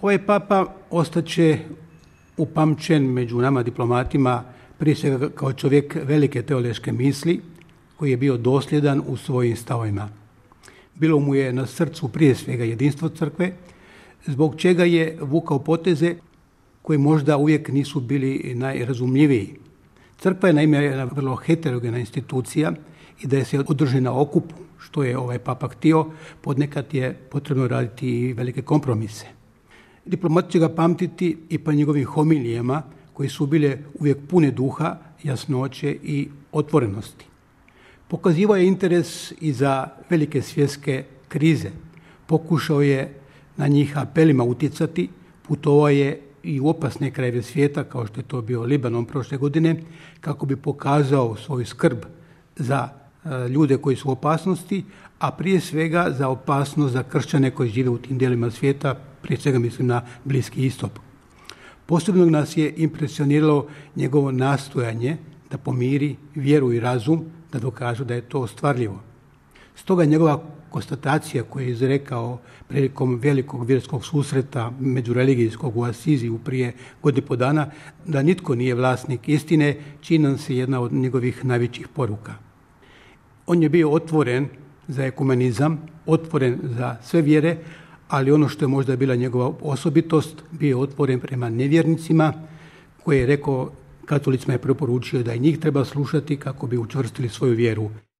Ovaj papa ostaće upamćen među nama diplomatima prije svega kao čovjek velike teološke misli koji je bio dosljedan u svojim stavovima. Bilo mu je na srcu prije svega jedinstvo crkve, zbog čega je vukao poteze koji možda uvijek nisu bili najrazumljiviji. Crkva je naime jedna vrlo heterogena institucija i da je se održi na okupu, što je ovaj papa htio, podnekad je potrebno raditi i velike kompromise. Diplomat će ga pamtiti i po njegovim homilijama koji su bile uvijek pune duha, jasnoće i otvorenosti. Pokazivao je interes i za velike svjetske krize. Pokušao je na njih apelima utjecati, putovao je i u opasne krajeve svijeta, kao što je to bio Libanon prošle godine, kako bi pokazao svoju skrb za ljude koji su u opasnosti, a prije svega za opasnost za kršćane koji žive u tim dijelima svijeta, prije svega mislim na Bliski istok. Posebno nas je impresioniralo njegovo nastojanje da pomiri vjeru i razum, da dokažu da je to ostvarljivo. Stoga njegova konstatacija koju je izrekao prilikom velikog vjerskog susreta međureligijskog u Asiziju prije godinu i pol dana, da nitko nije vlasnik istine, čini nam se jedna od njegovih najvećih poruka. On je bio otvoren za ekumenizam, otvoren za sve vjere, ali ono što je možda bila njegova osobitost, bio je otvoren prema nevjernicima, koji je rekao, katolicima je preporučio da i njih treba slušati kako bi učvrstili svoju vjeru.